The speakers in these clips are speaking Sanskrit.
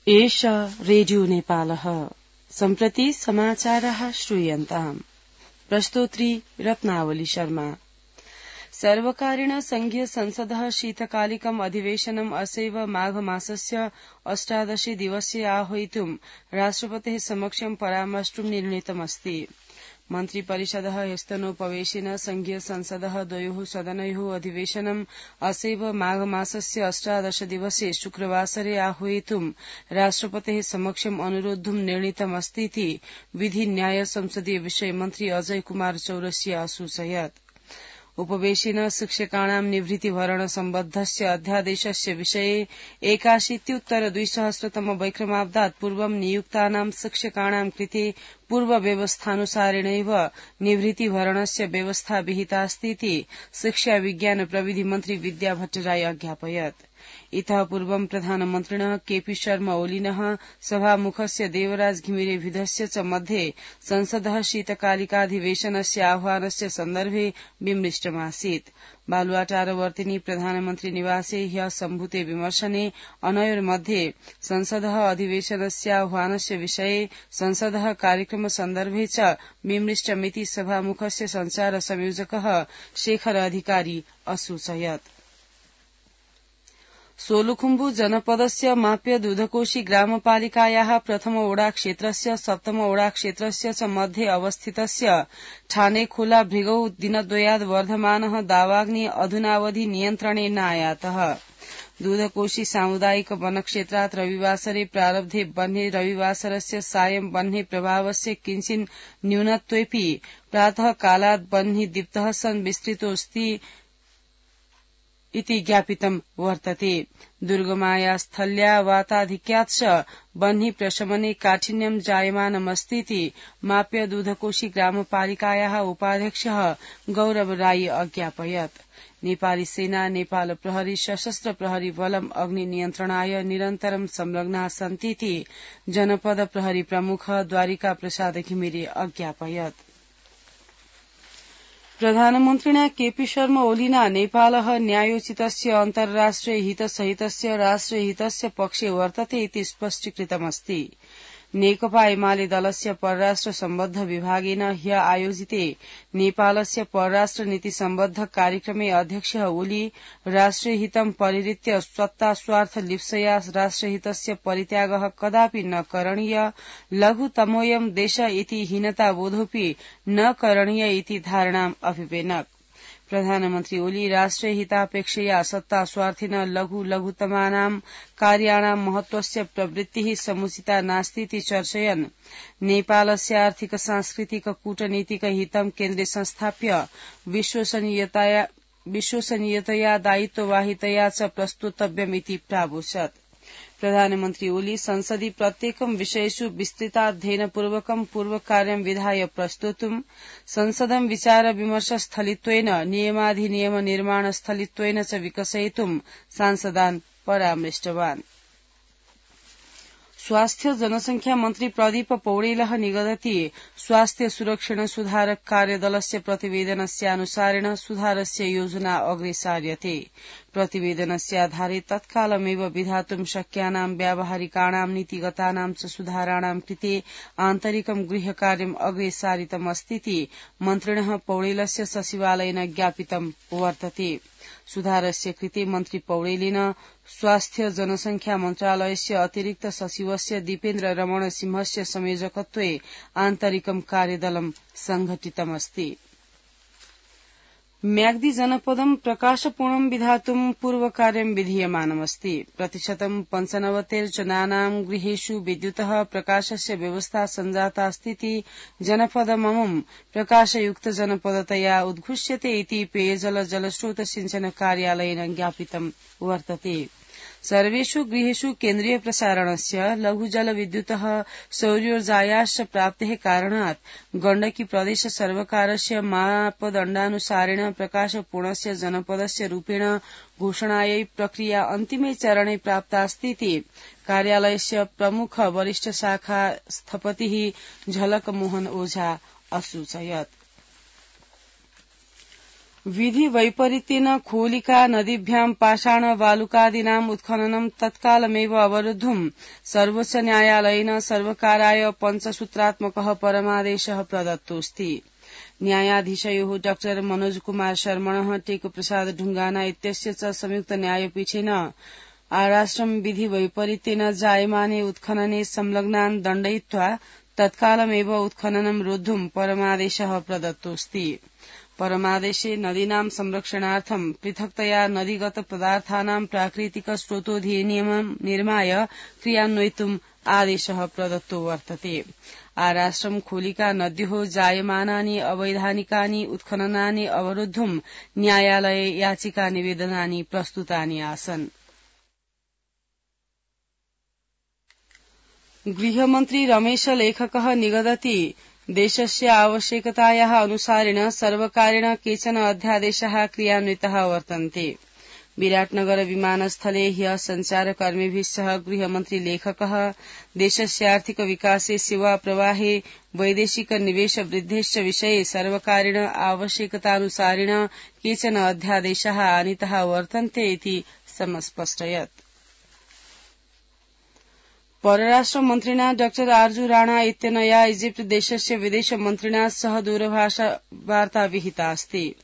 एष रेडियो नेपालः सम्प्रति समाचारः श्रूयन्ताम्। प्रस्तोत्री रत्नावली शर्मा। सर्वकारेण संघीय संसदः शीतकालिकम् अधिवेशनम् असैव माघमासस्य 18 दिवसे आह्वयितुं राष्ट्रपतेः समक्षं परामर्ष्टुं निर्णीतमस्ति। मन्त्रिपरिषदः ह्यस्तनोपवेशेन संघीय संसदः द्वयोः सदनयोः अधिवेशनम् असैव माघमासस्य 18 दिवसे शुक्रवासरे आह्वयितुं राष्ट्रपतेः समक्षम् अनुरोद्धुं निर्णीतमस्तीति विधि न्याय संसदीय विषय मन्त्री अजय कुमार चौरसिया असूचयत्। उपवेशेन शिक्षकाणां निवृत्तिभरण सम्बद्धस्य अध्यादेशस्य विषये 81-2000 वैक्रमाब्दात् पूर्वं नियुक्तानां शिक्षकाणां कृते पूर्वव्यवस्थानुसारेणैव निवृत्तिभरणस्य व्यवस्था विहितास्तीति शिक्षा विज्ञान प्रविधि मन्त्री विद्या भट्टराई अज्ञापयत्। इतः पूर्वं प्रधानमन्त्रिणः केपी शर्मा ओलीनः सभामुखस्य देवराज घिमिरेभिधस्य च मध्ये संसदः शीतकालिकाधिवेशनस्य आह्वानस्य सन्दर्भे विमृष्टमासीत्। बालुवाटारवर्तिनी प्रधानमन्त्री निवासे ह्यः सम्भूते विमर्शने अनयोर्मध्ये संसदः अधिवेशनस्य आह्वानस्य विषये संसदः कार्यक्रम सन्दर्भे च विमृष्टमिति सभामुखस्य संचार संयोजकः शेखर अधिकारी असूचयत्। सोलुखुम्बु जनपदस्य माप्य दुधकोशी ग्रामपालिकायाः प्रथम ओडा क्षेत्रस्य सप्तम ओडा क्षेत्रस्य च मध्ये अवस्थितस्य ठानेखोला भृगौ दिनद्वयाद् वर्धमानः दावाग्नि अधुनावधि नियन्त्रणे नायातः। दूधकोशी सामुदायिक वनक्षेत्रात् रविवासरे प्रारब्धे बह्ने रविवासरस्य सायं बह्ने प्रभावस्य किञ्चिन् न्यूनत्वेऽपि प्रातः कालात् बह्नि दीप्तः सन् विस्तृतोऽस्ति इति ज्ञापितं वर्तते। दुर्गमाया स्थल्या वाताधिक्यात् च बह्नि प्रशमने काठिन्यं जायमानमस्तीति माप्य दूधकोशी ग्रामपालिकायाः उपाध्यक्षः गौरव राई अज्ञापयत्। नेपाली सेना नेपाल प्रहरी सशस्त्र प्रहरी बलम् अग्नि नियन्त्रणाय निरन्तरं संलग्नाः सन्तीति जनपद प्रहरी प्रमुख द्वारिका प्रसाद घिमिरे अज्ञापयत्। प्रधानमन्त्रिणा केपी शर्मा ओलीना नेपालः न्यायोचितस्य अन्ताराष्ट्रिय हितसहितस्य राष्ट्रियहितस्य पक्षे वर्तते इति स्पष्टीकृतमस्ति। नेकपा एमाले दलस्य परराष्ट्र सम्बद्ध विभागेन ह्य आयोजिते नेपालस्य परराष्ट्र नीति सम्बद्ध कार्यक्रमे अध्यक्षः ओली राष्ट्रियहितं परिहृत्य सत्तास्वार्थ लिप्सया राष्ट्रहितस्य परित्यागः कदापि न करणीय, लघुतमोऽयं देश इति हीनताबोधोऽपि न करणीय इति धारणाम् अभिपेनक्। प्रधानमन्त्री ओली राष्ट्रियहितापेक्षया सत्तास्वार्थिन लघुतमानां कार्याणां महत्वस्य प्रवृत्तिः समुचिता नास्तीति चर्चयन् नेपालस्य आर्थिक सांस्कृतिक कूटनीतिक हितं केन्द्रे संस्थाप्य विश्वसनीयतया दायित्ववाहितया च प्रस्तुतव्यमिति प्रावोचत्। प्रधानमन्त्री ओली संसदि प्रत्येकं विषयेषु विस्तृताध्ययनपूर्वकं पूर्वकार्यं विधाय प्रस्तोतुं संसदं विचार विमर्श स्थलित्वेन नियमाधिनियम निर्माण स्थलित्वेन च विकसयितुं सांसदान् परामृष्टवान्। स्वास्थ्य जनसंख्या मन्त्री प्रदीप पौडेलः निगदति स्वास्थ्य सुरक्षण सुधारक कार्यदलस्य प्रतिवेदनस्यानुसारेण सुधारस्य योजना अग्रेसार्यते। प्रतिवेदनस्य आधारे तत्कालमेव विधातुं शक्यानां व्यावहारिकाणां नीतिगतानां च सुधाराणां कृते आन्तरिकं गृह्यकार्यम् अग्रेसारितमस्तीति मन्त्रिणः पौडेलस्य सचिवालयेन ज्ञापितं वर्तते। सुधारस्य कृते मन्त्री पौडेलेन स्वास्थ्य जनसंख्या मन्त्रालयस्य अतिरिक्त सचिवस्य दीपेन्द्र रमण सिंहस्य संयोजकत्वे आन्तरिकं कार्यदलं संघटितमस्ति। म्याग्दी जनपदं प्रकाशपूर्णं विधातुं पूर्वकार्यं विधीयमानमस्ति। प्रतिशतं 95 जनानां गृहेषु विद्युतः प्रकाशस्य व्यवस्था सञ्जातास्तीति जनपदममुं प्रकाशयुक्त जनपदतया उद्घोष्यते इति पेयजल जलस्रोत सिंचन कार्यालयेन ज्ञापितं वर्तते। सर्वेषु गृहेषु केन्द्रीय प्रसारणस्य लघुजलविद्युतः सौर्योर्जायाश्च प्राप्तेः कारणात् गण्डकी प्रदेश सर्वकारस्य मापदण्डानुसारेण प्रकाशपूर्णस्य जनपदस्य रूपेण घोषणायै प्रक्रिया अन्तिमे चरणे प्राप्तास्तीति कार्यालयस्य प्रमुख वरिष्ठ शाखा स्थपतिः झलक मोहन ओझा असूचयत्। विधि वैपरीत्येन खोलिका नदीभ्यां पाषाण बालुकादीनाम् उत्खननं तत्कालमेव अवरुद्धुं सर्वोच्च न्यायालयेन सर्वकाराय पञ्चसूत्रात्मकः परमादेशः प्रदत्तोऽस्ति। न्यायाधीशयोः डॉ मनोज कुमार शर्मणः टेकुप्रसाद ढुंगाना इत्यस्य च संयुक्त न्यायपीठेन आराश्रम विधि वैपरीत्येन जायमाने उत्खनने संलग्नान् दण्डयित्वा तत्कालमेव उत्खननं रोद्धुं परमादेशः प्रदत्तोऽस्ति। परमादेशे नदीनां संरक्षणार्थं पृथक्तया नदीगत पदार्थानां प्राकृतिक स्रोतोधिनियमं निर्माय क्रियान्वयितुम् आदेशः प्रदत्तो वर्तते। आराश्रम खोलिका नद्योः जायमानानि अवैधानिकानि उत्खननानि अवरोद्धुं न्यायालये याचिका निवेदनानि प्रस्तुतानि आसन्। गृहमन्त्री रमेश लेखकः निगदति देशस्य आवश्यकतायाः अनुसारेण सर्वकारेण केचन अध्यादेशाः क्रियान्विताः वर्तन्ते। विराटनगर विमानस्थले ह्यः सञ्चारकर्मिभिः सह गृहमन्त्री लेखकः देशस्य आर्थिक विकासे सेवा प्रवाहे वैदेशिक निवेश वृद्धेश्च विषये सर्वकारेण आवश्यकतानुसारेण केचन अध्यादेशाः आनीताः वर्तन्ते इति समस्पष्टयत्। परराष्ट्र मन्त्रिणा डॉ आर्जू राणा इत्यनया इजिप्ट देशस्य विदेश मन्त्रिणा सह दूरभाषावार्ता विहिता अस्ति।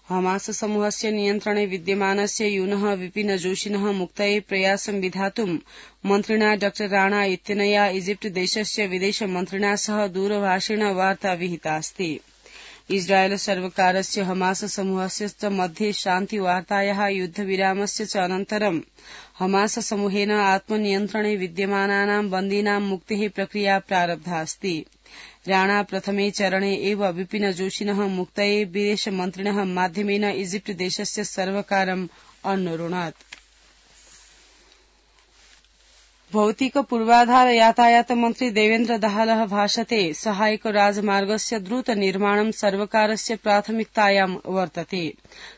हमास समूहस्य नियन्त्रणे विद्यमानस्य यूनः विपिन जोशिनः मुक्तये प्रयासं विधातुं मन्त्रिणा डॉ राणा इत्यनया इजिप्ट देशस्य विदेश मन्त्रिणा सह दूरभाषेण वार्ता विहिता अस्ति। इस्राएल सर्वकारस्य हमास समूहस्य च मध्ये शान्तिवार्तायाः युद्धविरामस्य च अनन्तरं हमास समूहेन आत्मनियन्त्रणे विद्यमानानां बन्दीनां मुक्तेः प्रक्रिया प्रारब्धा अस्ति। राणा प्रथमे चरणे एव विपिन जोशिनः मुक्तये विदेशमन्त्रिणः माध्यमेन इजिप्ट देशस्य सर्वकारम् अन्वरुणत्। भौतिक पूर्वाधार यातायात मन्त्री देवेन्द्र दाहालः भाषते सहायक राजमार्गस्य द्रुत निर्माणं सर्वकारस्य प्राथमिकतायां वर्तते।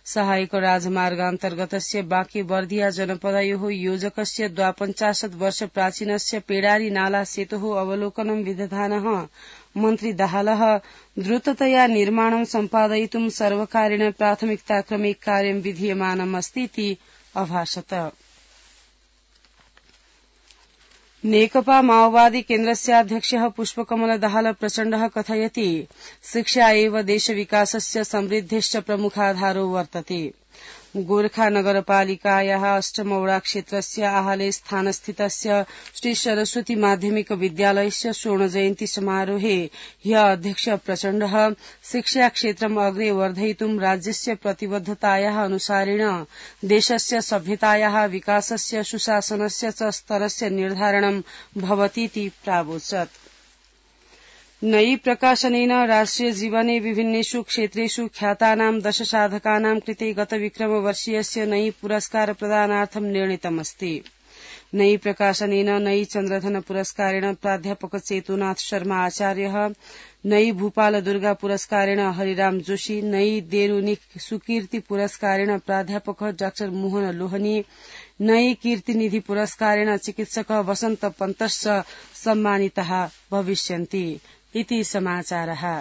सहायक राजमार्गान्तर्गतस्य बांके-बर्दिया जनपदयोः योजकस्य 52 वर्ष प्राचीनस्य पेडारी नाला सेतोः अवलोकनं विदधानः मन्त्री दाहालः द्रुततया निर्माणं सम्पादयितुं सर्वकारेण प्राथमिकताक्रमे कार्यं विधीयमानम् अस्तीति अभाषत। नेकपा माओवादी केन्द्रस्याध्यक्षः पुष्पकमल दाहाल प्रचण्डः कथयति शिक्षा एव देशविकासस्य समृद्धेश्च प्रमुखाधारो वर्तते। गोरखा नगरपालिकायाः अष्टमौड़ा क्षेत्रस्य आहले स्थानस्थितस्य श्री सरस्वती माध्यमिक विद्यालयस्य स्वर्णजयन्ती समारोहे ह्यः अध्यक्ष प्रचण्डः शिक्षाक्षेत्रम् अग्रे वर्धयितुं राज्यस्य प्रतिबद्धतायाः अनुसारेण देशस्य सभ्यतायाः विकासस्य सुशासनस्य च स्तरस्य निर्धारणं भवतीति प्रावोचत्। नयी प्रकाशनेन राष्ट्रिय जीवने विभिन्नेषु क्षेत्रेषु ख्यातानां 10 साधकानां कृते गतविक्रमवर्षीयस्य नयी पुरस्कार प्रदानार्थं निर्णीतमस्ति। नयी प्रकाशनेन नयी चन्द्रधन पुरस्कारेण प्राध्यापक चेतुनाथ शर्मा आचार्यः, नयी भूपाल दुर्गा पुरस्कारेण हरिराम जोशी, नयी देरुनिख सुकीर्ति पुरस्कारेण प्राध्यापक डॉ मोहन लोहनी, नयी कीर्तिनिधि पुरस्कारेण चिकित्सक वसन्त पन्तश्च सम्मानिताः भविष्यन्ति इति समाचारः।